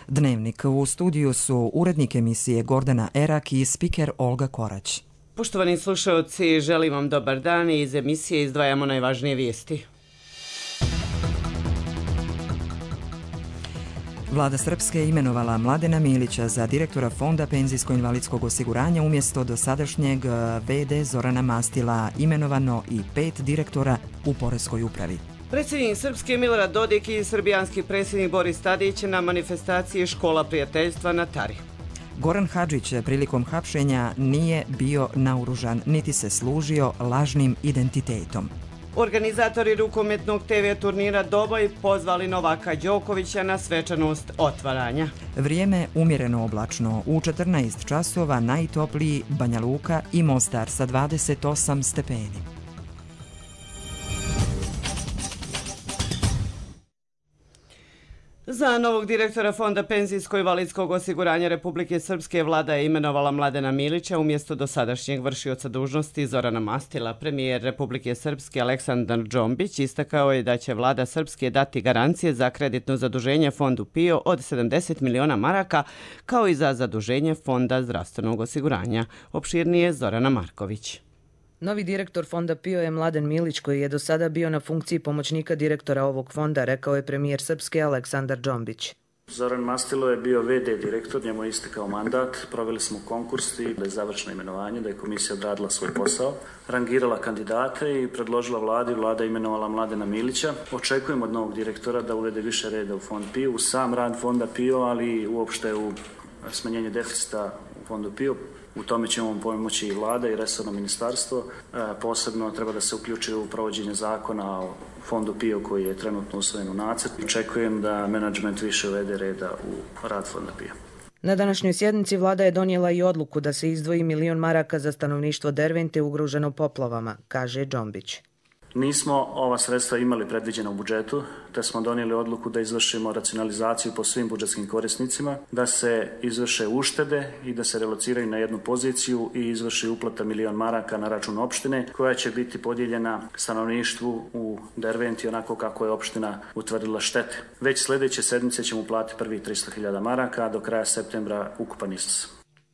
Dnevnik. U studiju su urednik emisije Gordana Erak i spiker Olga Korać. Poštovani slušalci, želim vam dobar dan i iz emisije izdvajamo najvažnije vijesti. Vlada Srpske je imenovala Mladena Milića za direktora Fonda penzijsko-invalidskog osiguranja umjesto dosadašnjeg VD Zorana Mastila, imenovano i 5 direktora u Poreskoj upravi. Predsjednik Srpske Milorad Dodik i srbijanski predsjednik Boris Tadić na manifestaciji Škola prijateljstva na Tari. Goran Hadžić prilikom hapšenja nije bio naoružan niti se služio lažnim identitetom. Organizatori rukometnog TV turnira Doboj pozvali Novaka Đokovića na svečanost otvaranja. Vrijeme umjereno oblačno. U 14 časova najtopliji Banja Luka i Mostar sa 28 stepeni. Za novog direktora Fonda penzijsko-invalidskog osiguranja Republike Srpske vlada je imenovala Mladena Milića umjesto dosadašnjeg vršioca dužnosti Zorana Mastila. Premijer Republike Srpske Aleksandar Džombić istakao je da će vlada Srpske dati garancije za kreditno zaduženje Fondu PIO od 70 miliona maraka, kao i za zaduženje Fonda zdravstvenog osiguranja. Opširnije Zorana Marković. Novi direktor Fonda PIO je Mladen Milić, koji je do sada bio na funkciji pomoćnika direktora ovog fonda, rekao je premijer Srpske Aleksandar Džombić. Zoran Mastilo je bio VD direktor, njemu je istekao mandat, proveli smo konkurs i da je završeno imenovanje, da je komisija odradila svoj posao, rangirala kandidate i predložila vladi, vlada imenovala Mladena Milića. Očekujemo od novog direktora da uvede više reda u Fond PIO, u sam rad Fonda PIO, ali i uopšte u smanjenje deficita u Fondu PIO. U tome će vam pomoći i vlada i resorno ministarstvo. Posebno treba da se uključi u provođenje zakona o Fondu PIO koji je trenutno usvojen u nacrtu. Očekujem da menadžment više uvede reda u rad Fonda PIO. Na današnjoj sjednici vlada je donijela i odluku da se izdvoji 1 milion maraka za stanovništvo Dervente ugroženo poplavama, kaže Džombić. Nismo ova sredstva imali predviđena u budžetu, te smo donijeli odluku da izvršimo racionalizaciju po svim budžetskim korisnicima, da se izvrše uštede i da se relociraju na jednu poziciju i izvrši uplata 1 milion maraka na račun opštine, koja će biti podijeljena stanovništvu u Derventi onako kako je opština utvrdila štete. Već sljedeće sedmice ćemo uplatiti prvih 300.000 maraka, a do kraja septembra ukupan iznos.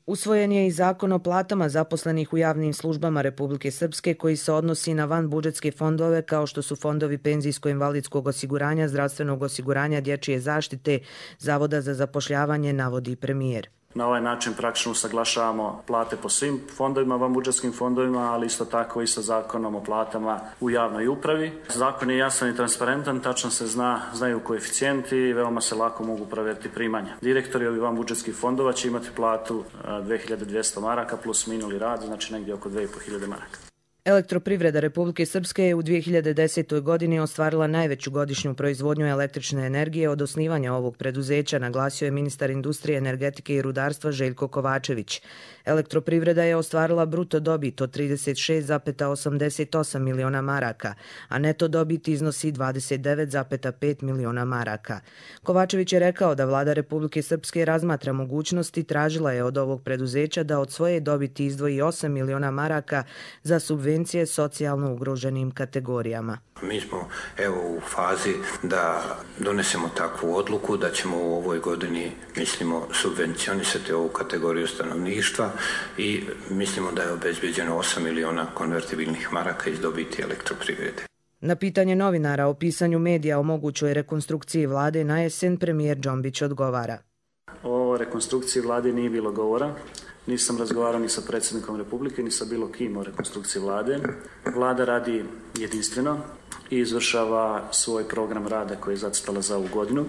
Usvojen je i zakon o platama zaposlenih u javnim službama Republike Srpske koji se odnosi na vanbudžetske fondove kao što su fondovi penzijsko-invalidskog osiguranja, zdravstvenog osiguranja, dječje zaštite, Zavoda za zapošljavanje, navodi premijer. Na ovaj način praktično usaglašavamo plate po svim fondovima, vanbudžetskim fondovima, ali isto tako i sa zakonom o platama u javnoj upravi. Zakon je jasan i transparentan, tačno se znaju koeficijenti i veoma se lako mogu provjeriti primanja. Direktori ovih vanbudžetskih fondova će imati platu 2200 maraka plus minuli rad, znači negdje oko 2500 maraka. Elektroprivreda Republike Srpske je u 2010. godini ostvarila najveću godišnju proizvodnju električne energije od osnivanja ovog preduzeća, naglasio je ministar industrije, energetike i rudarstva Željko Kovačević. Elektroprivreda je ostvarila bruto dobit od 36,88 miliona maraka, a neto dobit iznosi 29,5 miliona maraka. Kovačević je rekao da vlada Republike Srpske razmatra mogućnosti, tražila je od ovog preduzeća da od svoje dobiti izdvoji 8 miliona maraka za subvencije socijalno ugroženim kategorijama. Mi smo u fazi da donesemo takvu odluku da ćemo u ovoj godini, mislimo, subvencionisati ovu kategoriju stanovništva i mislimo da je obezbeđeno 8 miliona konvertibilnih maraka iz dobiti elektroprivrede. Na pitanje novinara o pisanju medija o mogućoj rekonstrukciji vlade na jesen premijer Džombić odgovara. O rekonstrukciji vlade nije bilo govora. Nisam razgovarao ni sa predsjednikom Republike, ni sa bilo kim o rekonstrukciji vlade. Vlada radi jedinstveno i izvršava svoj program rada koji je zacrtala za ovu godinu.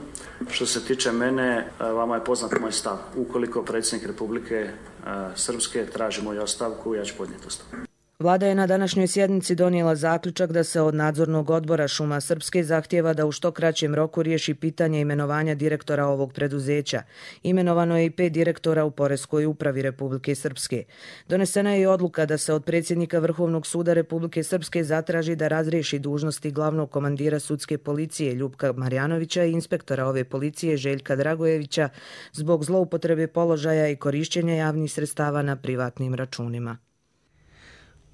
Što se tiče mene, vama je poznat moj stav. Ukoliko predsjednik Republike Srpske traži moju ostavku, ja ću podnijeti ostavku. Vlada je na današnjoj sjednici donijela zaključak da se od nadzornog odbora Šuma Srpske zahtijeva da u što kraćem roku riješi pitanje imenovanja direktora ovog preduzeća. Imenovano je i 5 direktora u Poreskoj upravi Republike Srpske. Donesena je i odluka da se od predsjednika Vrhovnog suda Republike Srpske zatraži da razriješi dužnosti glavnog komandira sudske policije Ljupka Marjanovića i inspektora ove policije Željka Dragojevića zbog zloupotrebe položaja i korišćenja javnih sredstava na privatnim računima.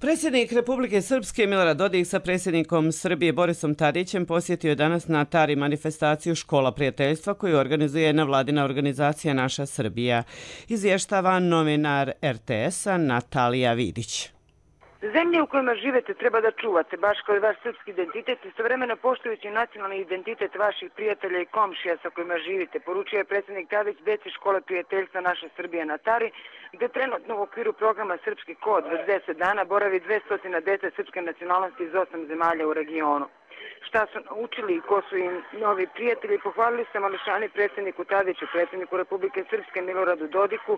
Predsjednik Republike Srpske Milorad Dodik sa predsjednikom Srbije Borisom Tadićem posjetio je danas na Tari manifestaciju Škola prijateljstva koju organizuje nevladina organizacija Naša Srbija. Izvještava novinar RTS-a Natalija Vidić. Zemlje u kojima živete treba da čuvate, baš kao i vaš srpski identitet, istovremeno poštujući nacionalni identitet vaših prijatelja i komšija sa kojima živite, poručio je predsjednik Tadić deci Škole prijateljstva Naša Srbija na Tari, gde trenutno u okviru programa Srpski kod već 10 dana boravi 200 dece srpske nacionalnosti iz 8 zemalja u regionu. Šta su naučili i ko su im novi prijatelji, pohvalili se mališani predsjedniku Tadiću, predsjedniku Republike Srpske Miloradu Dodiku,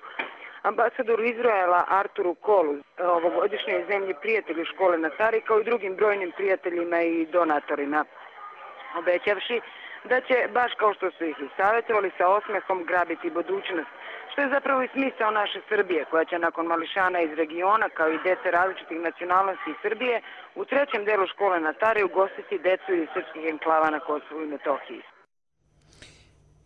ambasadoru Izraela Arturu Kolu, ovogodišnjoj zemlji prijatelju škole na Tari, kao i drugim brojnim prijateljima i donatorima, obećavši da će, baš kao što su ih i savjetovali, sa osmehom grabiti budućnost, što je zapravo i smisao naše Srbije, koja će nakon mališana iz regiona, kao i dece različitih nacionalnosti iz Srbije, u trećem delu škole na Tari ugostiti decu iz srpskih enklava na Kosovu i Metohiji.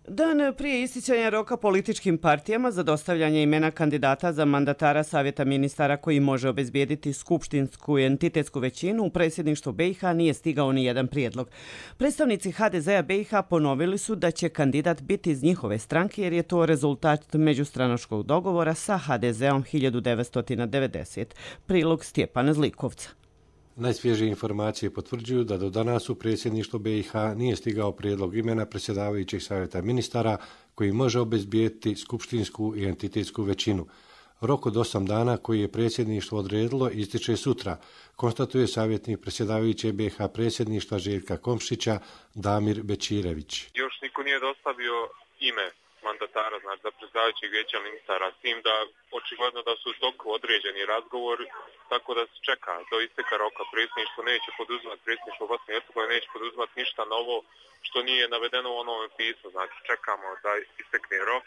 Dan prije isticanja roka političkim partijama za dostavljanje imena kandidata za mandatara Savjeta ministara koji može obezbijediti skupštinsku i entitetsku većinu u predsjedništvu BiH nije stigao ni jedan prijedlog. Predstavnici HDZ-a BiH ponovili su da će kandidat biti iz njihove stranke jer je to rezultat međustranačkog dogovora sa HDZ-om 1990. Prilog Stjepana Zlikovca. Najsvježije informacije potvrđuju da do danas u predsjedništvo BiH nije stigao prijedlog imena predsjedavajućeg savjeta ministara koji može obezbijediti skupštinsku i entitetsku većinu. Rok od 8 dana koji je predsjedništvo odredilo ističe sutra, konstatuje savjetnik predsjedavajuće BiH predsjedništva Željka Komšića Damir Bečirević. Još niko nije dostavio ime mandatara, znači za predsjedavajućeg vijeća ministara, s tim da očigledno da su u toku određeni razgovori, tako da se čeka do isteka roka. Predsjedništvo neće poduzimati, predsjedništvo Bosne i Hercegovine neće poduzimati ništa novo što nije navedeno u onome pismu, znači čekamo da istekne rok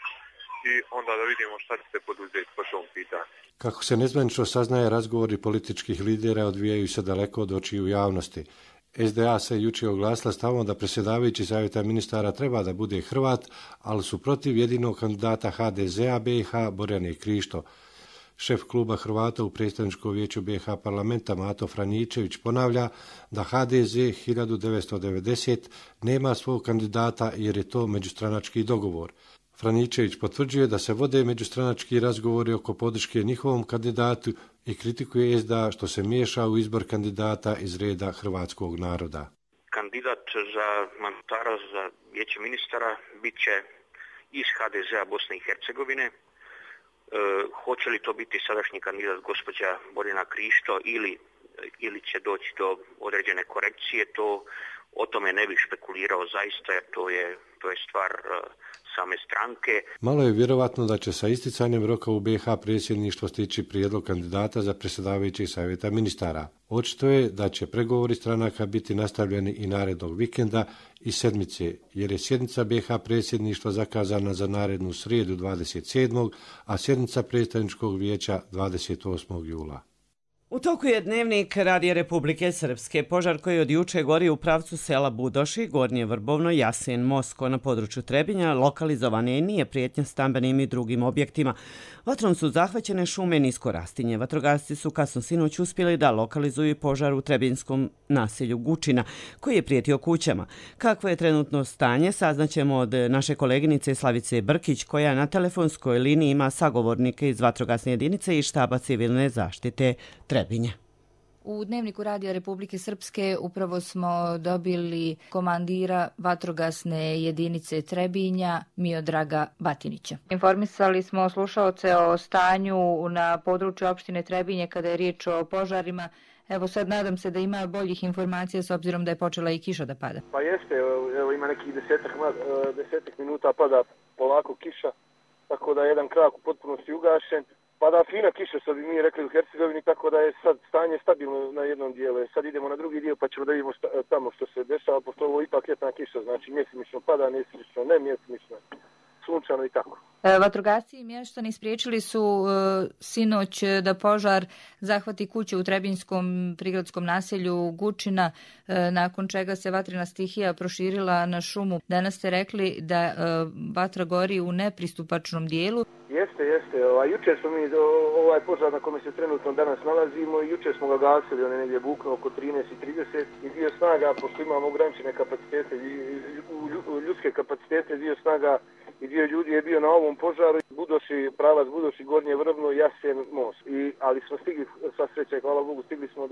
i onda da vidimo šta će se poduzeti po tom pitanju. Kako se nezvanično saznaje, razgovori političkih lidera odvijaju se daleko od očiju javnosti. SDA se jučer oglasila stavom da predsjedavajući savjeta ministara treba da bude Hrvat, ali su protiv jedinog kandidata HDZ-a BiH Borjane Krišto. Šef kluba Hrvata u predstavničkom vijeću BiH parlamenta Mato Franičević ponavlja da HDZ 1990 nema svog kandidata jer je to međustranački dogovor. Franičević potvrđuje da se vode međustranački razgovori oko podrške njihovom kandidatu i kritikuje SDA što se miješa u izbor kandidata iz reda hrvatskog naroda. Kandidat za mandatara za vijeće ministara bit će iz HDZ-a Bosne i Hercegovine. Hoće li to biti sadašnji kandidat gospođa Borjana Krišto ili će doći do određene korekcije, o tome ne bih špekulirao zaista, jer to je stvar same stranke. Malo je vjerovatno da će sa isticanjem roka u BiH predsjedništvo stići prijedlog kandidata za predsjedavajućeg savjeta ministara. Očito je da će pregovori stranaka biti nastavljeni i narednog vikenda i sedmice, jer je sjednica BiH predsjedništva zakazana za narednu srijedu 27. a sjednica predstavničkog vijeća 28. jula. U toku je dnevnik Radija Republike Srpske. Požar koji od juče gori u pravcu sela Budoši, Gornje Vrbovno, Jasen, Mosko na području Trebinja, lokalizovan je i nije prijetnja stambenim i drugim objektima. Vatrom su zahvaćene šume nisko rastinje. Vatrogasci su kasno sinoć uspjeli da lokalizuju požar u trebinskom naselju Gučina, koji je prijetio kućama. Kakvo je trenutno stanje, saznaćemo od naše koleginice Slavice Brkić, koja na telefonskoj liniji ima sagovornike iz vatrogasne jedinice i štaba civilne zaštite Trebinja. U dnevniku Radija Republike Srpske upravo smo dobili komandira vatrogasne jedinice Trebinja Miodraga Batinića. Informisali smo slušaoce o stanju na području opštine Trebinje kada je riječ o požarima. Evo sad nadam se da ima boljih informacija s obzirom da je počela i kiša da pada. Pa jeste, evo ima nekih desetak minuta pada polako kiša, tako da je jedan krak u potpunosti ugašen. Pada fina kiša, što bi mi rekli u Hercegovini, tako da je sad stanje stabilno na jednom dijelu. Sad idemo na drugi dio pa ćemo da vidimo tamo što se dešava, pošto ovo ipak ljetna kiša, znači mjesimično pada, mjesimično ne, mjesimično sunčano i tako. Vatrogasci i mještani spriječili su sinoć da požar zahvati kuće u Trebinjskom prigradskom naselju Gučina, nakon čega se vatrena stihija proširila na šumu. Danas ste rekli da vatra gori u nepristupačnom dijelu. Jeste. Jučer smo mi ovaj požar na kome se trenutno danas nalazimo, jučer smo ga gasili, on je negdje buknuo oko 13:30 i dio snaga, pošto imamo ograničene kapacitete, ljudske kapacitete, dio snaga i dio ljudi je bio na ovom požaru, pravac Budoši, Gornje Vrbno, Jasen, most. Ali smo stigli, sva sreća i hvala Bogu, stigli smo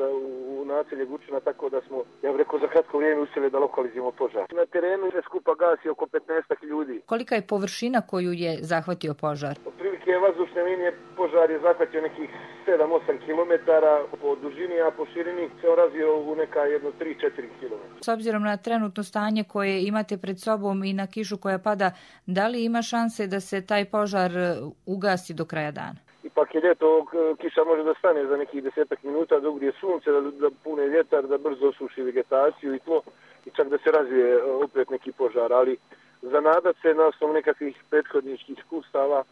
u naselje Gučina, tako da smo, ja bih rekao, za kratko vrijeme uspjeli da lokalizujemo požar. Na terenu je skupa gasi oko 15 ljudi. Kolika je površina koju je zahvatio požar? Otprilike vazdušne linije požar je zahvatio nekih 7-8 km po dužini, a po širini se razvio u neka 3-4 km. S obzirom na trenutno stanje koje imate pred sobom i na kišu koja pada, da li ima šanse da se taj požar ugasi do kraja dana? Ipak je ljeto, kiša može da stane za nekih 10 minuta, da ugrije sunce, da pune vjetar, da brzo osuši vegetaciju i tlo i čak da se razvije opet neki požar, ali za nadat se na osnovu nekakvih prethodničkih iskustava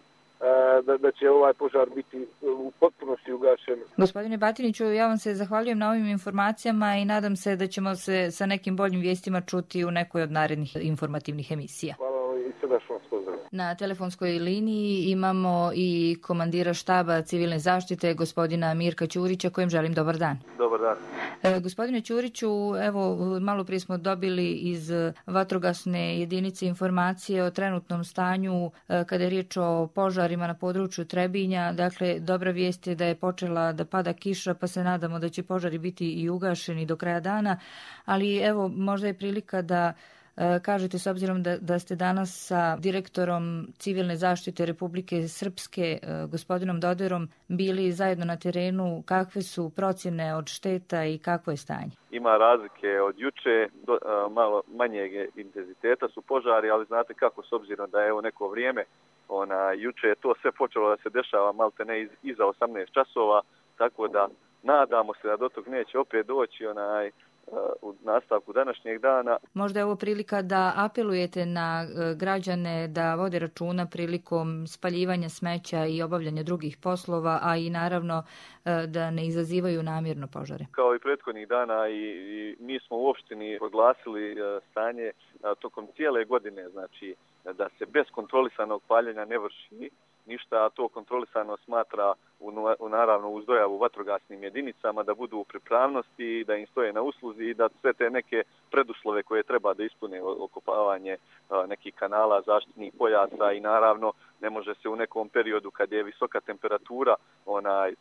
da će ovaj požar biti u potpunosti ugašen. Gospodine Batiniću, ja vam se zahvaljujem na ovim informacijama i nadam se da ćemo se sa nekim boljim vijestima čuti u nekoj od narednih informativnih emisija. Hvala i srdačno vas pozdravljam. Na telefonskoj liniji imamo i komandira štaba civilne zaštite, gospodina Mirka Ćurića, kojem želim dobar dan. Dobar dan. Gospodine Ćuriću, evo, malo prije smo dobili iz vatrogasne jedinice informacije o trenutnom stanju kada je riječ o požarima na području Trebinja. Dakle, dobra vijest je da je počela da pada kiša, pa se nadamo da će požari biti i ugašeni do kraja dana, ali evo, možda je prilika da kažete, s obzirom da ste danas sa direktorom civilne zaštite Republike Srpske, gospodinom Doderom, bili zajedno na terenu, kakve su procjene od šteta i kakvo je stanje? Ima razlike od juče, malo manjeg intenziteta su požari, ali znate kako, s obzirom da je evo neko vrijeme, juče je to sve počelo da se dešava malte ne iza 18 časova, tako da nadamo se da do tog neće opet doći u nastavku današnjeg dana. Možda je ovo prilika da apelujete na građane da vode računa prilikom spaljivanja smeća i obavljanja drugih poslova, a i naravno da ne izazivaju namjerno požare. Kao i prethodnih dana i mi smo u opštini proglasili stanje tokom cijele godine, znači da se bez kontrolisanog paljenja ne vrši ništa, a to kontrolisano smatra naravno uz dojavu vatrogasnim jedinicama da budu u pripravnosti, da im stoje na usluzi i da sve te neke preduslove koje treba da ispune, okopavanje nekih kanala, zaštitnih pojasa i naravno ne može se u nekom periodu kad je visoka temperatura,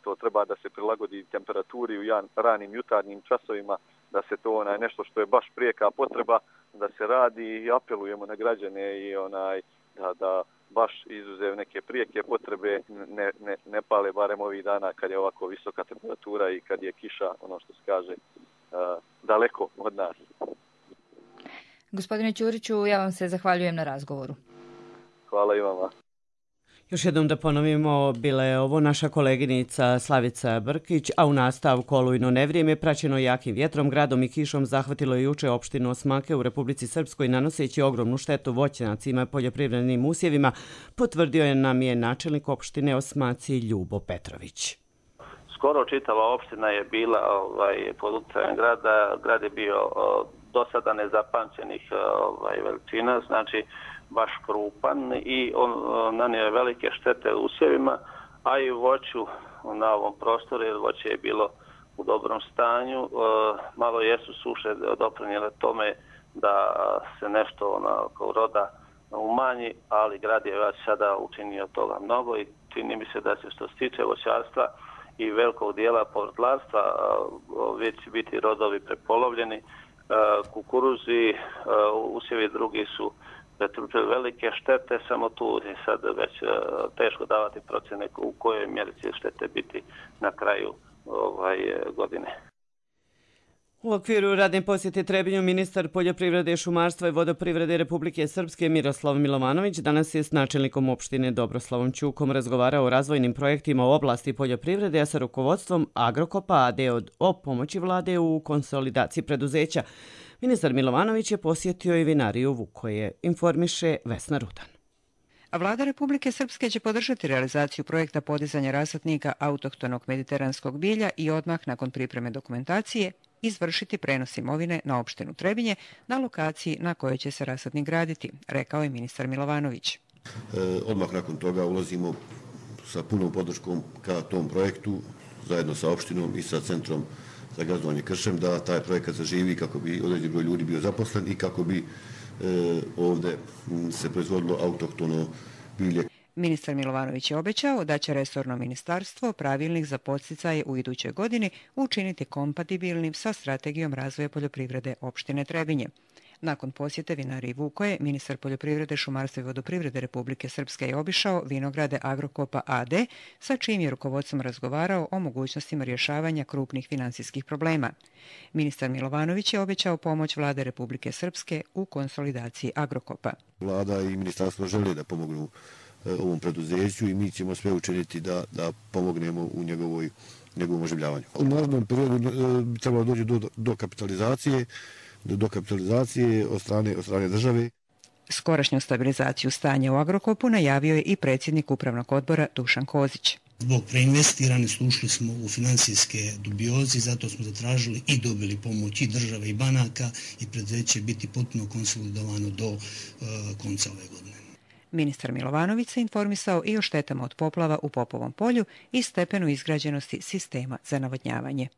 to treba da se prilagodi temperaturi u ranim jutarnjim časovima, da se to nešto što je baš prijeka potreba da se radi i apelujemo na građane i da baš izuzev neke prijeke potrebe ne pale barem ovih dana kad je ovako visoka temperatura i kad je kiša, ono što se kaže, daleko od nas. Gospodine Ćuriću, ja vam se zahvaljujem na razgovoru. Hvala i vama. Još jednom da ponovimo, bila je ovo naša koleginica Slavica Brkić, a u nastavku olujno nevrijeme praćeno jakim vjetrom, gradom i kišom zahvatilo je juče opštinu Osmake u Republici Srpskoj, nanoseći ogromnu štetu voćnjacima i poljoprivrednim usjevima, potvrdio je nam je načelnik opštine Osmaci Ljubo Petrović. Skoro čitava opština je bila pod utjecajem grada, grad je bio do sada nezapamćenih veličina, znači baš krupan i on nanio velike štete usjevima, a i voću na ovom prostoru, jer voće je bilo u dobrom stanju. Malo jesu suše doprinijele tome da se nešto kao roda umanji, ali grad je već sada učinio toga mnogo i čini mi se da se što se tiče voćarstva i velikog dijela povrtlarstva već će biti rodovi prepolovljeni. Kukuruzi, usjevi drugi su pretrpjeli velike štete, samo tu je sad već teško davati procjene u kojoj mjeri će štete biti na kraju godine. U okviru radne posjete Trebinju ministar poljoprivrede, šumarstva i vodoprivrede Republike Srpske Miroslav Milovanović danas je s načelnikom opštine Dobroslavom Ćukom razgovarao o razvojnim projektima u oblasti poljoprivrede, a sa rukovodstvom Agrokopa AD o pomoći vlade u konsolidaciji preduzeća. Ministar Milovanović je posjetio i vinariju Vukoje, informiše Vesna Rudan. Vlada Republike Srpske će podržati realizaciju projekta podizanja rasadnika autohtonog mediteranskog bilja i odmah nakon pripreme dokumentacije izvršiti prenos imovine na opštinu Trebinje na lokaciji na kojoj će se rasadnik graditi, rekao je ministar Milovanović. Odmah nakon toga ulazimo sa punom podrškom ka tom projektu zajedno sa opštinom i sa centrom za gazdovanje kršem da taj projekat zaživi kako bi određen broj ljudi bio zaposlen i kako bi ovde se proizvodilo autohtono bilje. Ministar Milovanović je obećao da će resorno ministarstvo pravilnik za podsticaje u idućoj godini učiniti kompatibilnim sa strategijom razvoja poljoprivrede opštine Trebinje. Nakon posjete vinariji Vukoje, ministar poljoprivrede, šumarstva i vodoprivrede Republike Srpske je obišao vinograde Agrokopa AD, sa čijim je rukovodstvom razgovarao o mogućnostima rješavanja krupnih finansijskih problema. Ministar Milovanović je obećao pomoć Vlade Republike Srpske u konsolidaciji Agrokopa. Vlada i ministarstvo žele da pomognu ovom preduzeću i mi ćemo sve učiniti da pomognemo u njegovom oživljavanju. U narednom periodu bi trebalo doći do kapitalizacije od strane države. Skorašnju stabilizaciju stanja u Agrokopu najavio je i predsjednik upravnog odbora Dušan Kozić. Zbog preinvestiranosti ušli smo u financijske dubioze, zato smo zatražili i dobili pomoć i države i banaka i preduzeće će biti potpuno konsolidovano do konca ove godine. Ministar Milovanović se informisao i o štetama od poplava u Popovom polju i stepenu izgrađenosti sistema za navodnjavanje.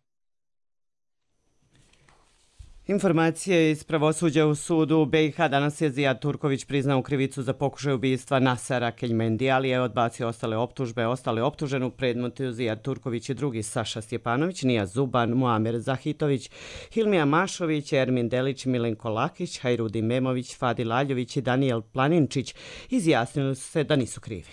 Informacije iz pravosuđa u sudu u BiH. Danas je Zijad Turković priznao krivicu za pokušaj ubistva Nasera Keljmendi, ali je odbacio ostale optužbe. Ostale optužene u predmetu Zijad Turković i drugi Saša Stjepanović, Nija Zuban, Muamer Zahitović, Hilmija Mašović, Ermin Delić, Milenko Lakić, Hajrudin Memović, Fadil Aljović i Danijel Planinčić izjasnili su se da nisu krivi.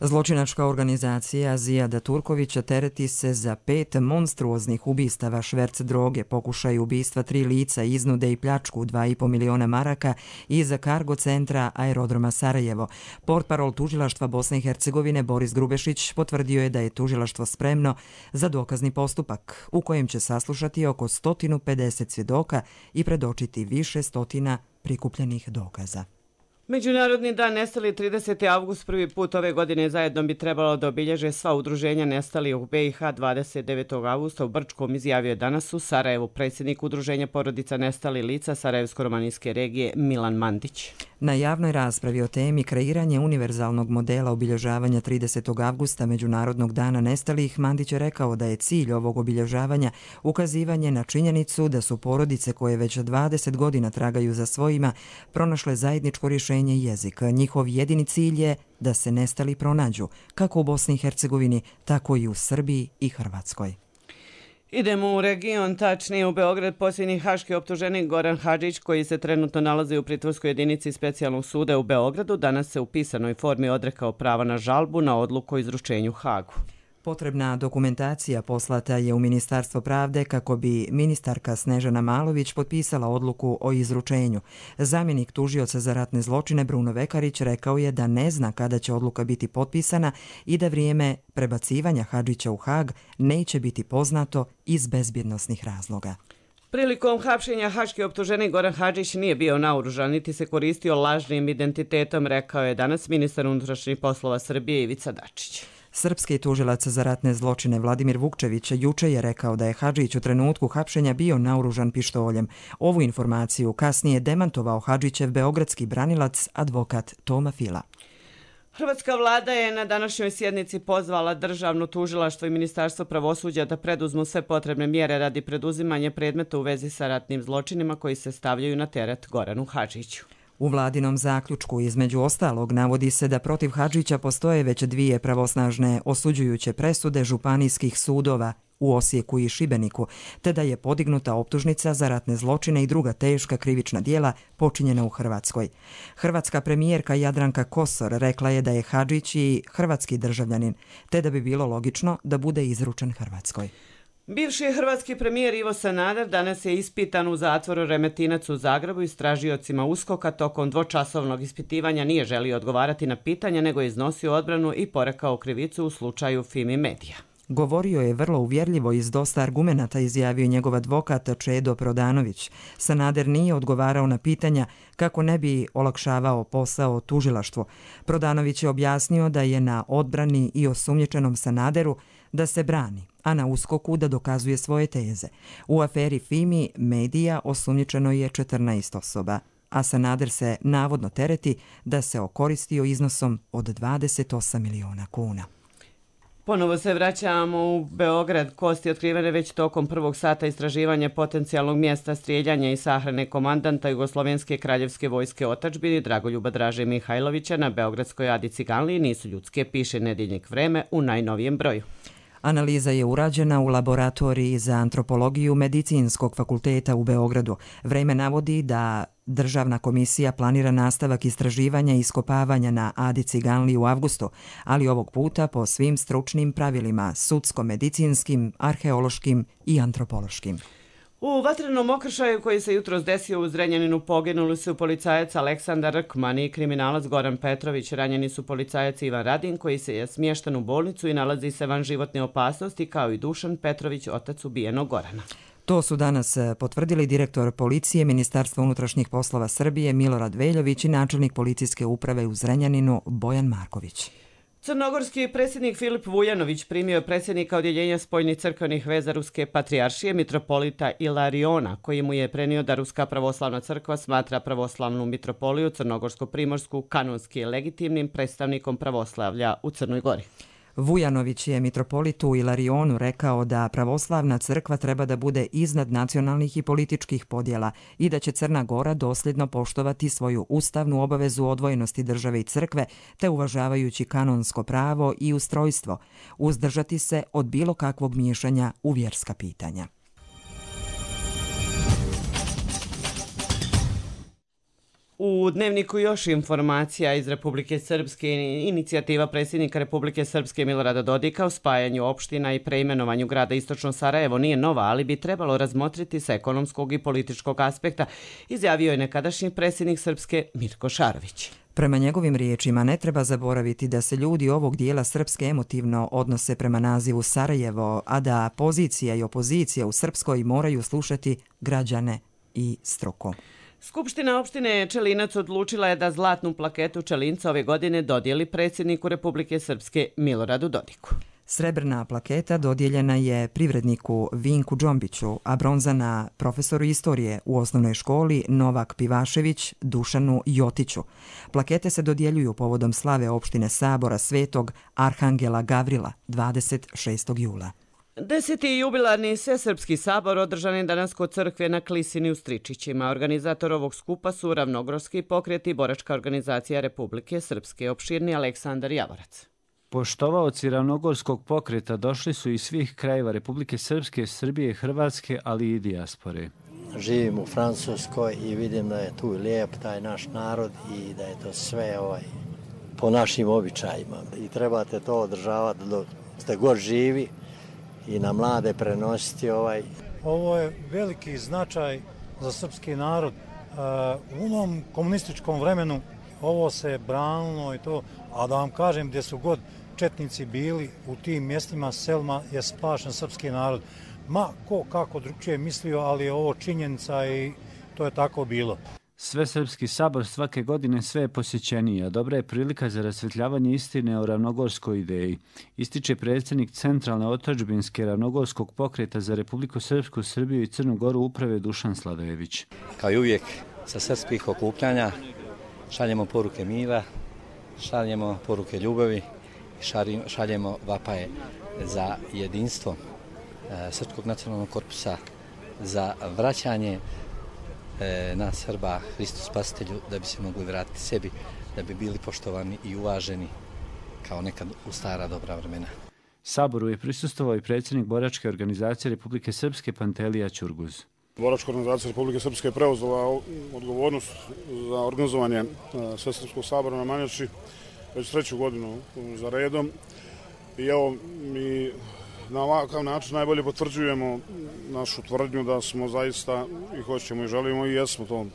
Zločinačka organizacija Zijada Turkovića tereti se za 5 monstruoznih ubistava, šverc droge, pokušaj ubistva 3 lica, iznude i pljačku 2,5 miliona maraka iza kargo centra Aerodroma Sarajevo. Portparol tužilaštva Bosne i Hercegovine Boris Grubešić potvrdio je da je tužilaštvo spremno za dokazni postupak u kojem će saslušati oko 150 svjedoka i predočiti više stotina prikupljenih dokaza. Međunarodni dan nestali 30. avgust prvi put ove godine zajedno bi trebalo da obilježe sva udruženja nestali u BiH 29. avgusta u Brčkom, izjavio je danas u Sarajevu predsjednik udruženja porodica nestali lica Sarajevsko-romanijske regije Milan Mandić. Na javnoj raspravi o temi kreiranje univerzalnog modela obilježavanja 30. avgusta Međunarodnog dana nestalih, Mandić je rekao da je cilj ovog obilježavanja ukazivanje na činjenicu da su porodice koje već 20 godina tragaju za svojima pronašle zajedničko rješenje jezik. Njihov jedini cilj je da se nestali pronađu, kako u Bosni i Hercegovini, tako i u Srbiji i Hrvatskoj. Idemo u region, tačnije u Beograd. Posljednji haški optuženik Goran Hadžić, koji se trenutno nalazi u pritvorskoj jedinici specijalnog suda u Beogradu, danas se u pisanoj formi odrekao prava na žalbu na odluku o izručenju Hagu. Potrebna dokumentacija poslata je u Ministarstvo pravde kako bi ministarka Snežana Malović potpisala odluku o izručenju. Zamjenik tužioca za ratne zločine Bruno Vekarić rekao je da ne zna kada će odluka biti potpisana i da vrijeme prebacivanja Hadžića u Hag neće biti poznato iz bezbjednosnih razloga. Prilikom hapšenja haški optuženik Goran Hadžić nije bio naoružan niti se koristio lažnim identitetom, rekao je danas ministar unutrašnjih poslova Srbije Ivica Dačić. Srpski tužilac za ratne zločine Vladimir Vukčević juče je rekao da je Hadžić u trenutku hapšenja bio naoružan pištoljem. Ovu informaciju kasnije demantovao Hadžićev beogradski branilac, advokat Toma Fila. Hrvatska vlada je na današnjoj sjednici pozvala Državno tužilaštvo i Ministarstvo pravosuđa da preduzmu sve potrebne mjere radi preduzimanja predmeta u vezi sa ratnim zločinima koji se stavljaju na teret Goranu Hadžiću. U vladinom zaključku između ostalog navodi se da protiv Hadžića postoje već 2 pravosnažne osuđujuće presude županijskih sudova u Osijeku i Šibeniku, te da je podignuta optužnica za ratne zločine i druga teška krivična djela počinjena u Hrvatskoj. Hrvatska premijerka Jadranka Kosor rekla je da je Hadžić i hrvatski državljanin, te da bi bilo logično da bude izručen Hrvatskoj. Bivši hrvatski premijer Ivo Sanader danas je ispitan u zatvoru Remetinac u Zagrebu. Istražiocima USKOK-a tokom dvočasovnog ispitivanja nije želio odgovarati na pitanja, nego je iznosio odbranu i porekao krivicu u slučaju Fimi Medija. Govorio je vrlo uvjerljivo i s dosta argumenata, izjavio njegov advokat Čedo Prodanović. Sanader nije odgovarao na pitanja kako ne bi olakšavao posao tužilaštvu. Prodanović je objasnio da je na odbrani i osumnjičenom Sanaderu da se brani, a na USKOK-u da dokazuje svoje teze. U aferi Fimi Medija osumnjičeno je 14 osoba, a Sanader se navodno tereti da se okoristio iznosom od 28 miliona kuna. Ponovo se vraćamo u Beograd. Kosti otkrivene već tokom prvog sata istraživanja potencijalnog mjesta strijeljanja i sahrane komandanta Jugoslovenske kraljevske vojske otadžbini Dragoljuba Draže Mihajlovića na beogradskoj Adi Ciganliji nisu ljudske, piše Nedeljnik Vreme u najnovijem broju. Analiza je urađena u laboratoriji za antropologiju Medicinskog fakulteta u Beogradu. Vreme navodi da Državna komisija planira nastavak istraživanja i iskopavanja na Adi Ciganliji u avgustu, ali ovog puta po svim stručnim pravilima, sudsko-medicinskim, arheološkim i antropološkim. U vatrenom okršaju koji se jutros desio u Zrenjaninu poginuli su policajac Aleksandar Rkman i kriminalac Goran Petrović. Ranjeni su policajac Ivan Radin koji se je smješten u bolnicu i nalazi se van životne opasnosti, kao i Dušan Petrović, otac ubijenog Gorana. To su danas potvrdili direktor policije Ministarstva unutrašnjih poslova Srbije Milorad Veljović i načelnik policijske uprave u Zrenjaninu Bojan Marković. Crnogorski predsjednik Filip Vujanović primio je predsjednika Odjeljenja spoljnih crkvenih veza Ruske patrijaršije mitropolita Ilariona, koji mu je prenio da Ruska pravoslavna crkva smatra pravoslavnu mitropoliju Crnogorsko-primorsku kanonski legitimnim predstavnikom pravoslavlja u Crnoj Gori. Vujanović je mitropolitu Ilarionu rekao da pravoslavna crkva treba da bude iznad nacionalnih i političkih podjela i da će Crna Gora dosljedno poštovati svoju ustavnu obavezu odvojenosti države i crkve, te uvažavajući kanonsko pravo i ustrojstvo, uzdržati se od bilo kakvog miješanja u vjerska pitanja. U Dnevniku još informacija iz Republike Srpske. Inicijativa predsjednika Republike Srpske Milorada Dodika o spajanju opština i preimenovanju grada Istočno Sarajevo nije nova, ali bi trebalo razmotriti sa ekonomskog i političkog aspekta, izjavio je nekadašnji predsjednik Srpske Mirko Šarović. Prema njegovim riječima ne treba zaboraviti da se ljudi ovog dijela Srpske emotivno odnose prema nazivu Sarajevo, a da pozicija i opozicija u Srpskoj moraju slušati građane i struku. Skupština opštine Čelinac odlučila je da zlatnu plaketu Čelinca ove godine dodijeli predsjedniku Republike Srpske Miloradu Dodiku. Srebrna plaketa dodijeljena je privredniku Vinku Džombiću, a bronzana profesoru istorije u osnovnoj školi Novak Pivašević Dušanu Jotiću. Plakete se dodjeljuju povodom slave opštine Sabora Svetog Arhangela Gavrila 26. jula. 10. jubilarni Svesrpski sabor održan je danas kod crkve na Klisini u Stričićima. Organizator ovog skupa su Ravnogorski pokret i Boračka organizacija Republike Srpske, opširni Aleksandar Javorac. Poštovaoci Ravnogorskog pokreta došli su iz svih krajeva Republike Srpske, Srbije, Hrvatske, ali i dijaspore. Živim u Francuskoj i vidim da je tu lijep taj naš narod i da je to sve po našim običajima. I trebate to održavati dok ste god živi i na mlade prenositi Ovo je veliki značaj za srpski narod. U onom komunističkom vremenu ovo se branilo i to, a da vam kažem gdje su god četnici bili u tim mjestima, selima je spašen srpski narod. Ma ko kako drugčije mislio, ali je ovo činjenica i to je tako bilo. Svesrpski sabor svake godine sve je posjećeniji, a dobra je prilika za rasvjetljavanje istine o ravnogorskoj ideji, ističe predsjednik Centralne otadžbinske Ravnogorskog pokreta za Republiku Srpsku, Srbiju i Crnu Goru uprave Dušan Sladojević. Kao i uvijek sa srpskih okupljanja šaljemo poruke mira, šaljemo poruke ljubavi i šaljemo vapaje za jedinstvo Srpskog nacionalnog korpusa, za vraćanje nas Srba Hristu Spasitelju, da bi se mogli vratiti sebi, da bi bili poštovani i uvaženi kao nekad u stara dobra vremena. Saboru je prisustvovao i predsjednik Boračke organizacije Republike Srpske Pantelija Ćurguz. Boračka organizacija Republike Srpske je preuzela odgovornost za organizovanje Svesrpskog sabora na Manjači već 3. godinu za redom. I evo, mi na ovakav način najbolje potvrđujemo našu tvrdnju da smo zaista i hoćemo i želimo i jesmo to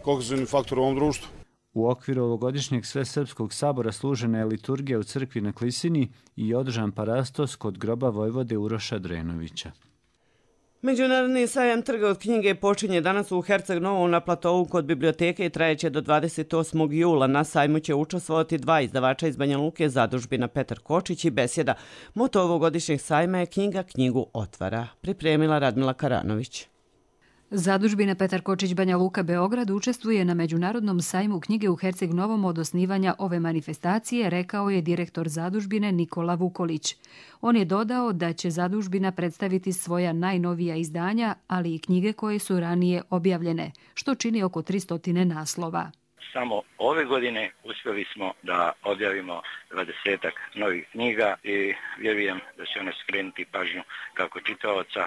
kohezivni faktor u ovom društvu. U okviru ovogodišnjeg Svesrpskog sabora služena je liturgija u crkvi na Klisini i održan parastos kod groba vojvode Uroša Drenovića. Međunarodni sajam trga od knjige počinje danas u Herceg Novom na platovu kod biblioteke i trajeće do 28. jula. Na sajmu će učestvovati 2 izdavača iz Banja Luke, zadužbina Petar Kočić i Besjeda. Moto ovogodišnjeg sajma je knjiga knjigu otvara. Pripremila Radmila Karanović. Zadužbina Petar Kočić Banja Luka Beograd učestvuje na Međunarodnom sajmu knjige u Herceg Novom od osnivanja ove manifestacije, rekao je direktor zadužbine Nikola Vukolić. On je dodao da će zadužbina predstaviti svoja najnovija izdanja, ali i knjige koje su ranije objavljene, što čini oko 300 naslova. Samo ove godine uspjeli smo da objavimo 20-ak novih knjiga i vjerujem da će one skrenuti pažnju kako čitaoca,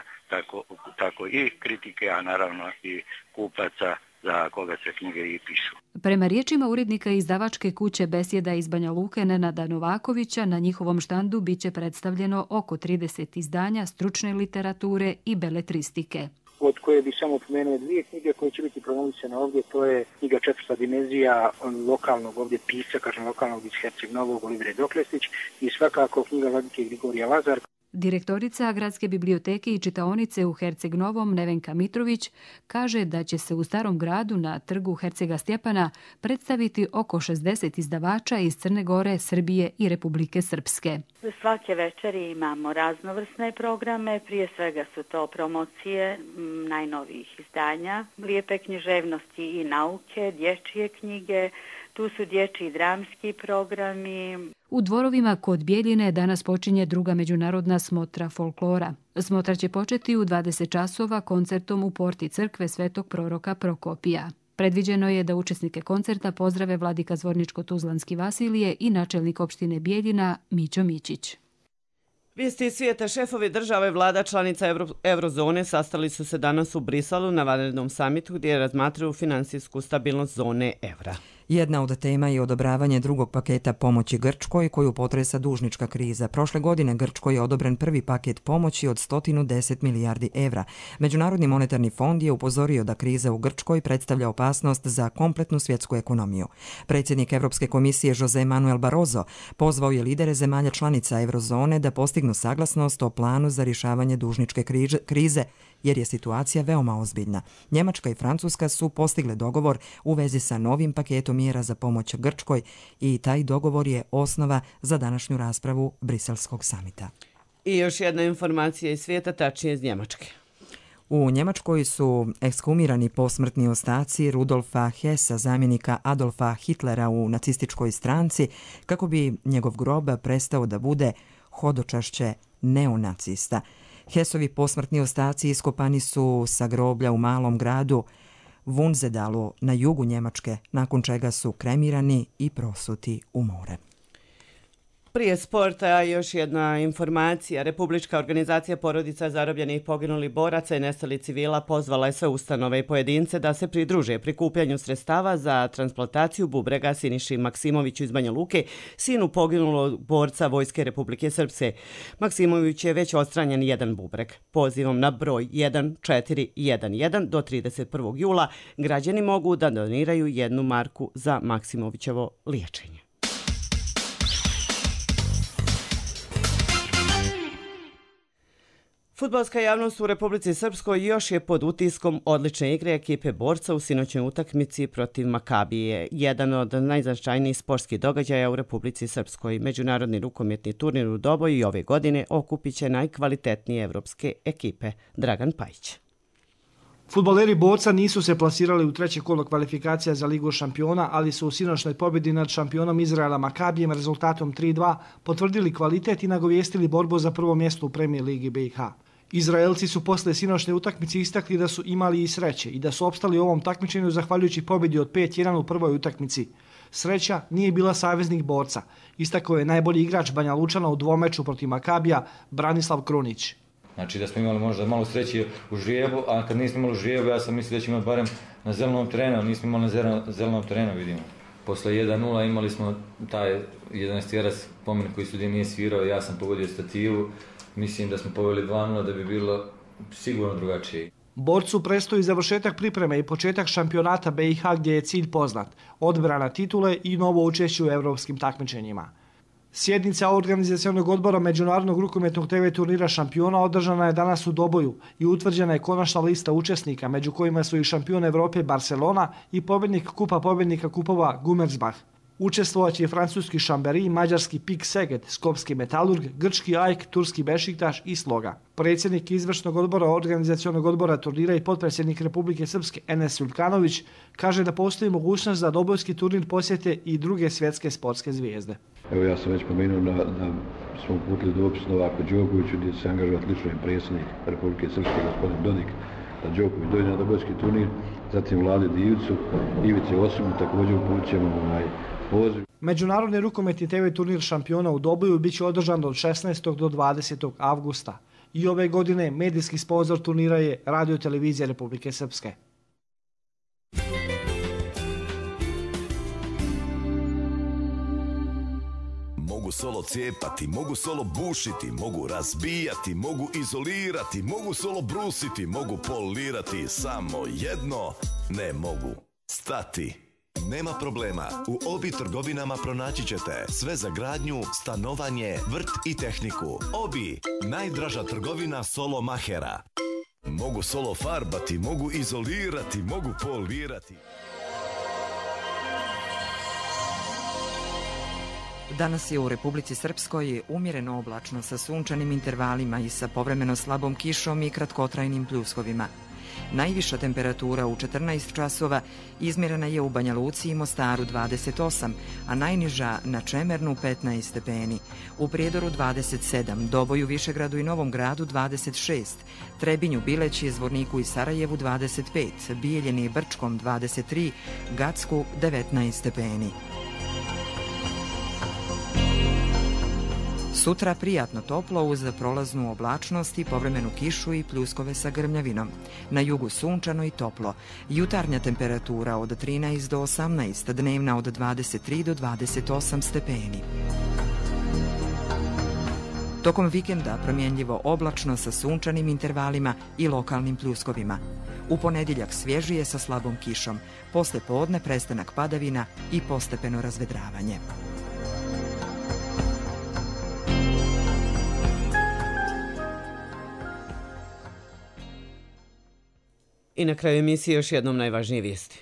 tako i kritike, a naravno i kupaca za koga se knjige i pišu. Prema riječima urednika izdavačke kuće Besjeda iz Banja Luke Nenada Novakovića, na njihovom štandu biće predstavljeno oko 30 izdanja stručne literature i beletristike. Od koje bi samo pomenuo 2 knjige koje će biti promovisane ovdje, to je knjiga Četvrta dimenzija lokalnog ovdje pisca, lokalnog iz Herceg Novog, Olivire Doklestić, i svakako knjiga Vladike Grigorija Lazar. Direktorica Gradske biblioteke i čitaonice u Herceg Novom Nevenka Mitrović kaže da će se u Starom gradu na trgu Hercega Stjepana predstaviti oko 60 izdavača iz Crne Gore, Srbije i Republike Srpske. Svake večeri imamo raznovrsne programe, prije svega su to promocije najnovijih izdanja, lijepe književnosti i nauke, dječje knjige, tu su dječji dramski programi. U dvorovima kod Bjeljine danas počinje druga međunarodna smotra folklora. Smotra će početi u 20 časova koncertom u porti crkve Svetog proroka Prokopija. Predviđeno je da učesnike koncerta pozdrave vladika Zvorničko-Tuzlanski Vasilije i načelnik opštine Bjeljina Mićo Mićić. Vijesti svijeta, šefovi država i vlada članica Eurozone sastali su se danas u Briselu na vanrednom samitu gdje razmatraju finansijsku stabilnost zone evra. Jedna od tema je odobravanje drugog paketa pomoći Grčkoj koju potresa dužnička kriza. Prošle godine Grčkoj je odobren prvi paket pomoći od 110 milijardi evra. Međunarodni monetarni fond je upozorio da kriza u Grčkoj predstavlja opasnost za kompletnu svjetsku ekonomiju. Predsjednik Europske komisije Jose Manuel Barroso pozvao je lidere zemalja članica Eurozone da postignu saglasnost o planu za rješavanje dužničke krize, jer je situacija veoma ozbiljna. Njemačka i Francuska su postigle dogovor u vezi sa novim paketom mjera za pomoć Grčkoj i taj dogovor je osnova za današnju raspravu Briselskog samita. I još jedna informacija iz svijeta, tačnije iz Njemačke. U Njemačkoj su ekshumirani posmrtni ostaci Rudolfa Hessa, zamjenika Adolfa Hitlera u nacističkoj stranci, kako bi njegov grob prestao da bude hodočašće neonacista. Hessovi posmrtni ostaci iskopani su sa groblja u malom gradu Wunsedalu na jugu Njemačke, nakon čega su kremirani i prosuti u more. Prije sporta još jedna informacija. Republička organizacija porodica zarobljenih poginulih boraca i nestalih civila pozvala je sve ustanove i pojedince da se pridruže prikupljanju sredstava za transplantaciju bubrega Siniši Maksimoviću iz Banja Luke, sinu poginulog borca Vojske Republike Srpske. Maksimović je već odstranjen jedan bubreg. Pozivom na broj 1411 do 31. jula građani mogu da doniraju 1 marku za Maksimovićevo liječenje. Fudbalska javnost u Republici Srpskoj još je pod utiskom odlične igre ekipe borca u sinoćnoj utakmici protiv Makabije. Jedan od najznačajnijih sportskih događaja u Republici Srpskoj. Međunarodni rukometni turnir u Doboju i ove godine okupit će najkvalitetnije evropske ekipe. Dragan Pajić. Fudbaleri borca nisu se plasirali u treće kolo kvalifikacija za Ligu šampiona, ali su u sinoćnoj pobjedi nad šampionom Izraela Makabijem rezultatom 3:2 potvrdili kvalitet i nagovijestili borbu za prvo mjesto u Premier Ligi BiH. Izraelci su posle sinoćne utakmice istakli da su imali i sreće i da su opstali u ovom takmičenju zahvaljujući pobjedi od 5:1 u prvoj utakmici. Sreća nije bila saveznik borca, istakao je najbolji igrač Banja Lučana u dvomeču protiv Makabija Branislav Krunić. Znači da smo imali možda malo sreće u žrijebu, a kad nismo imali žrijebu, ja sam mislio da ćemo barem na zelenom terenu, nismo imali na zelenom terenu, vidimo. Posle 1:0 imali smo taj 11-jerac pomen koji sudija nije svirao, ja sam pogodio stativu, mislim da smo poveli 2:0 da bi bilo sigurno drugačije. Borcu predstoji završetak pripreme i početak šampionata BiH gdje je cilj poznat, odbrana titule i novo učešće u evropskim takmičenjima. Sjednica organizacionog odbora Međunarodnog rukometnog TV turnira šampiona održana je danas u Doboju i utvrđena je konačna lista učesnika, među kojima su i šampion Evrope Barcelona i pobjednik Kupa pobjednika kupova Gummersbach. Učestvovaće i francuski Chambéry, mađarski PIK Szeged, skopski Metalurg, grčki AEK, turski Bešiktaš i Sloga. Predsjednik izvršnog odbora organizacionog odbora turnira i potpredsjednik Republike Srpske Enes Uljkanović kaže da postoji mogućnost da dobojski turnir posjete i druge svjetske sportske zvijezde. Evo ja sam već pomenuo da smo uputili dopis Novaku Đokoviću gdje se angažovati lično predsjednik Republike Srpske gospodin Dodik da Đoković dođe na dobojski turnir, zatim Vlade Divcu, Ivice Osimu također upućujemo poziv. Međunarodni rukometni TV turnir šampiona u Doboju biće održan od 16. do 20. avgusta. I ove godine medijski sponzor turnira je Radio Televizija Republike Srpske. Mogu solo cijepati, mogu solo bušiti, mogu razbijati, mogu izolirati, mogu solo brusiti, mogu polirati, samo jedno ne mogu stati. Nema problema, u Obi trgovinama pronaći ćete sve za gradnju, stanovanje, vrt i tehniku. Obi, najdraža trgovina solo mahera. Mogu solo farbati, mogu izolirati, mogu polirati. Danas je u Republici Srpskoj umjereno oblačno sa sunčanim intervalima i sa povremeno slabom kišom i kratkotrajnim pljuskovima. Najviša temperatura u 14 časova izmjerena je u Banja Luci i Mostaru 28, a najniža na Čemernu 15 stepeni. U Prijedoru 27, Doboju, Višegradu i Novom Gradu 26, Trebinju, Bileći, Zvorniku i Sarajevu 25, Bijeljini i Brčkom 23, Gacku 19 stepeni. Sutra prijatno toplo uz prolaznu oblačnost i povremenu kišu i pljuskove sa grmljavinom. Na jugu sunčano i toplo. Jutarnja temperatura od 13 do 18, dnevna od 23 do 28 stepeni. Tokom vikenda promjenljivo oblačno sa sunčanim intervalima i lokalnim pljuskovima. U ponedjeljak svježije sa slabom kišom. Posle podne prestanak padavina i postepeno razvedravanje. I na kraju emisije još jednom najvažnije vijesti.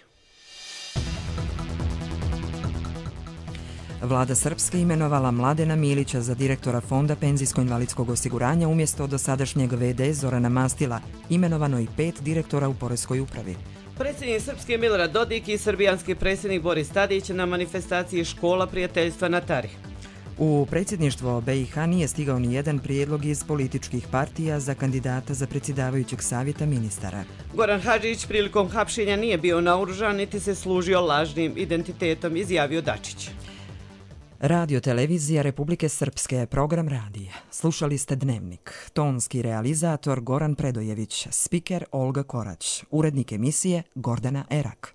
Vlada Srpske imenovala Mladena Milića za direktora Fonda penzijsko-invalidskog osiguranja umjesto dosadašnjeg VD Zorana Mastila, imenovano i 5 direktora u Poreskoj upravi. Predsjednik Srpske Milorad Dodik i srbijanski predsjednik Boris Tadić na manifestaciji Škola prijateljstva na Tari. U predsjedništvo BiH nije stigao ni jedan prijedlog iz političkih partija za kandidata za predsjedavajućeg savjeta ministara. Goran Hadžić prilikom hapšenja nije bio naoružan niti se služio lažnim identitetom, izjavio Dačić. Radio Televizija Republike Srpske, program radija. Slušali ste Dnevnik. Tonski realizator Goran Predojević, spiker Olga Korać, urednik emisije Gordana Erak.